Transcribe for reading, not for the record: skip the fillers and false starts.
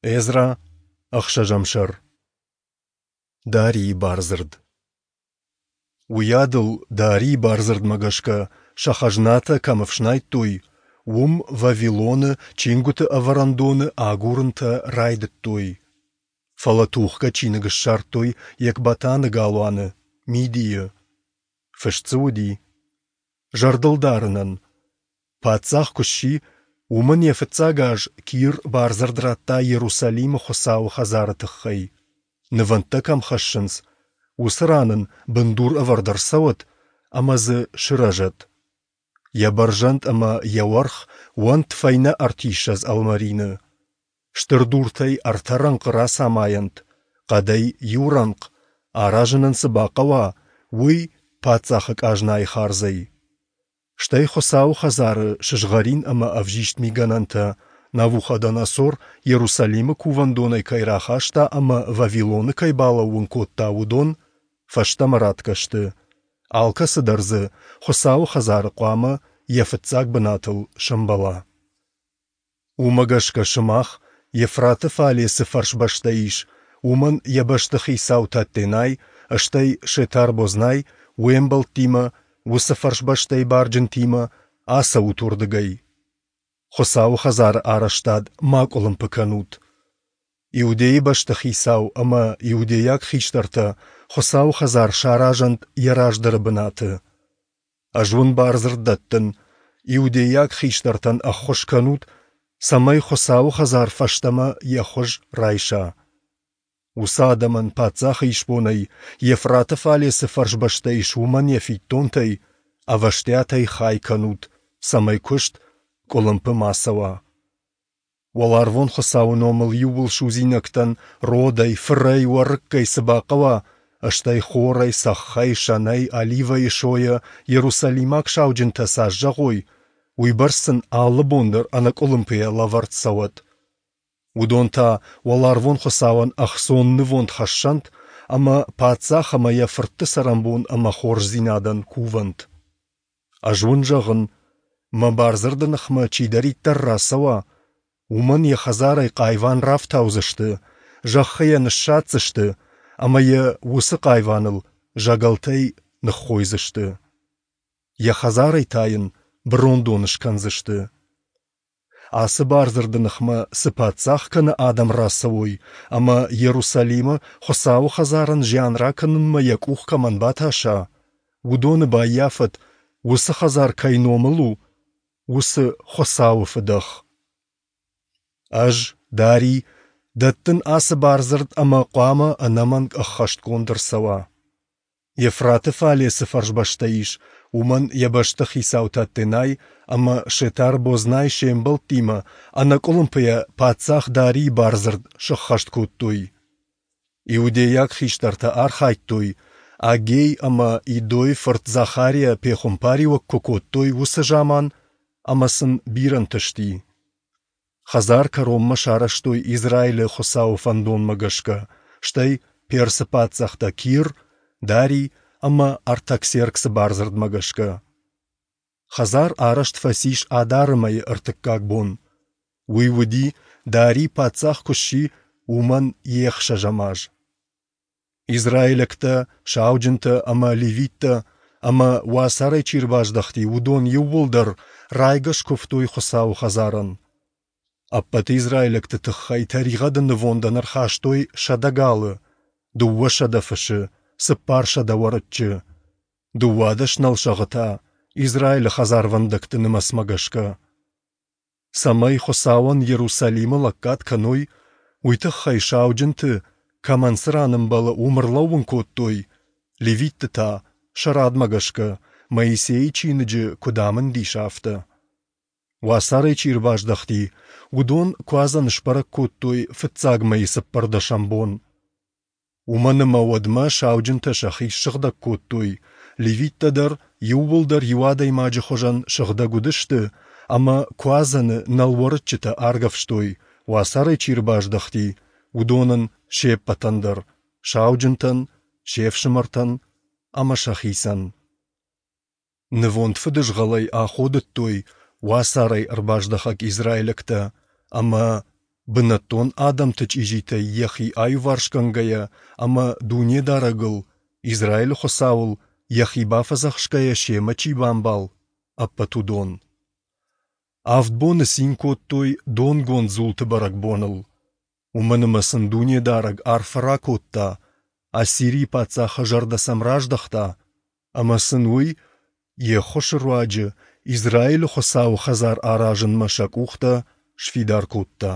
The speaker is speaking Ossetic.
Эзра, ӕхсӕзӕм сӕр. Дарийы бардзырд. Уыйадыл Дарийы бардзырдмӕ гӕсгӕ сӕ хӕзнатӕ кӕм ӕфснайдтой, уым, Вавилоны, чингуыты ӕвӕрӕндоны агурынтӕ райдыдтой. Фӕлӕ тухгӕ чиныг ссардтой Екбатаны галуаны, Мидийы. Фыст дзы уыди: Зӕрдылдарынӕн, Паддзах куы сси, уымӕн йӕ фыццаг аз Кир бардзырд радта Иерусалимы Хуыцауы хӕдзары тыххӕй, нывӕндтӕ кӕм хӕссынц, уыцы ран ын бындур ӕвӕрд ӕрцӕуӕд ӕмӕ дзы сырӕзӕд. Йӕ бӕрзӕнд ӕмӕ йӕ уӕрх уӕнт фӕйнӕ ӕртиссӕдз ӕлмӕрины. Стыр дуртӕй ӕртӕ рӕнхъы рацамайӕнт, хъӕдӕй иу рӕнхъ, аразынӕн цы бахъӕуа, уый паддзахы къазнайы хардзӕй. Стӕй Хуыцауы хӕдзары сызгъӕрин ӕмӕ ӕвзист мигӕнӕнтӕ Навуходоносор Иерусалимы кувӕндонӕй кӕй рахаста ӕмӕ Вавилоны кӕй балӕууын кодта, уыдон фӕстӕмӕ ратгӕ сты, алкӕцы дӕр дзы Хуыцауы хӕдзары хъуамӕ йӕ фыццаг бынатыл сӕмбӕла. Уымӕ гӕсгӕ сымах, Евфраты фале цы фӕрсбӕстӕ ис, уымӕн йӕ бӕстыхицау Таттенай, стӕй Шетар-Бознай, уе мбӕлттимӕ, уыцы фӕрсбӕстӕйы барджынтимӕ, ацӕут уырдыгӕй. Хуыцауы хӕдзары арӕзтад ма къуылымпы кӕнут. Иудейы бӕстыхицау ӕмӕ иудейаг хистӕртӕ Хуыцауы хӕдзар саразӕнт йӕ раздӕры бынаты. Ӕз уын бардзырд дӕттын, иудейаг хистӕртӕн ӕххуыс кӕнут, цӕмӕй Хуыцауы хӕдзар фӕстӕмӕ йӕ хуыз райса. Уыцы адӕмӕн паддзахы исбонӕй, Евфраты фале цы фӕрсбӕстӕ ис, уымӕн йӕ фиддонтӕй ӕвӕстиатӕй хай кӕнут, цӕмӕй куыст къуылымпы ма цӕуа. Уӕларвон Хуыцауы номыл иууылсудзинӕгтӕн родӕй, фырӕй, уӕрыккӕй цы бахъӕуа, стӕй хорӕй, цӕххӕй, сӕнӕй, оливӕйы сойӕ иерусалимаг сауджынтӕ цас зӕгъой, уыйбӕрц сын алы бон дӕр ӕнӕкъуылымпыйӕ лӕвӕрд цӕуӕд. Уыдон та уӕларвон Хуыцауӕн ӕхцон нывонд хӕссӕнт ӕмӕ паддзах ӕмӕ йӕ фыртты цӕрӕнбон ӕмӕ хорздзинадӕн кувӕнт. Ӕз уын зӕгъын, мӕ бардзырды ныхмӕ чидӕриддӕр рацӕуа, уымӕн йӕ хӕдзарӕй хъайван рафтаудзысты, зӕххы йӕ ныссадздзысты ӕмӕ йӕ уыцы хъайваныл зӕгӕлтӕй ныххойдзысты. Йӕ хӕдзарӕй та йын бырондон скӕндзысты. Ацы бардзырды ныхмӕ цы паддзах кӕнӕ адӕм рацӕуой ӕмӕ Иерусалимы Хуыцауы хӕдзарӕн зиан ракӕнынмӕ йӕ къух кӕмӕн батаса, уыдоны баййафӕд, уыцы хӕдзар кӕй номыл у, уыцы Хуыцауы фыдӕх. Ӕз, Дарий, дӕттын ацы бардзырд ӕмӕ хъуамӕ ӕнӕмӕнг ӕххӕстгонд ӕрцӕуа. Евфраты фале цы фӕрсбӕстӕ ис, уымӕн йӕ бӕстыхицау Таттенай ӕмӕ Шетар-Бознай се мбӕлттимӕ ӕнӕкъуылымпыйӕ паддзах Дарийы бардзырд сӕххӕст кодтой. Иудейаг хистӕртӕ архайдтой, Аггей ӕмӕ Идойы фырт Захариа пехуымпариуӕг куы кодтой, уыцы заман, ӕмӕ сын бирӕ нтысти. Хӕдзар кӕронмӕ сарӕзтой Израилы Хуыцауы фӕндонмӕ гӕсгӕ, стӕй Персы паддзӕхтӕ Кир, Дарий ӕмӕ Артаксерксы бардзырдмӕ гӕсгӕ. Хӕдзар арӕзт фӕцис Адары мӕйы ӕртыккаг бон. Уый уыди, Дарий паддзах куы сси, уымӕн йе хсӕзӕм аз. Израилӕгтӕ, сауджынтӕ ӕмӕ левиттӕ ӕмӕ, уацарӕй чи ӕрбаздӕхти, уыдон иууылдӕр райгӕ скуывтой Хуыцауы хӕдзарӕн. Ӕппӕт израилӕгты тыххӕй тӕригъӕды нывондӕн ӕрхастой 100 галы, 200 фысы, 400 уӕрыччы, 12 нӕлсӕгъы та Израилы хӕдзарвӕндӕгты нымӕцмӕ гӕсгӕ. Цӕмӕй Хуыцауӕн Иерусалимы лӕггад кӕной, уый тыххӕй сауджынты, кӕмӕн цы ран ӕмбӕлы, уым ӕрлӕууын кодтой, левитты та, сӕ радмӕ гӕсгӕ, Моисейы чиныджы куыд амынд ис, афтӕ. Уацарӕй чи ӕрбаздӕхти, уыдон Куадзӕн сбӕрӕг кодтой фыццаг мӕйы цыппӕрдӕсӕм бон. Уымӕн ӕмӕ уӕдмӕ сауджынтӕ сӕхи ссыгъдӕг кодтой, левиттӕ дӕр иууылдӕр иу адӕймаджы хуызӕн сыгъдӕг уыдысты ӕмӕ Куадзӕны нӕлуӕрыччытӕ аргӕвстой, уацарӕй чи ӕрбаздӕхти, уыдонӕн се ппӕтӕн дӕр, сауджынтӕн, се фсымӕртӕн ӕмӕ сӕхицӕн. Нывонд фыдызгъӕлӕй аходыдтой уацарӕй ӕрбаздӕхӕг израилӕгтӕ ӕмӕ бынӕттон адӕмты чъизитӕй йӕхи аиуварсгӕнгӕйӕ ӕмӕ Дунедарӕгыл, Израилы Хуыцауыл, йӕхи бафӕдзӕхсгӕйӕ семӕ чи бамбал, ӕппӕт уыдон. Авд боны цин кодтой донгонд дзулты бӕрӕгбоныл, уымӕн ӕмӕ сын Дунедарӕг арфӕ ракодта, Ассирийы паддзахы зӕрдӕ сӕм раздӕхта, ӕмӕ сын уый Йе ххуысы руаджы Израилы Хуыцауы хӕдзар аразынмӕ сӕ къухтӕ сфидар кодта.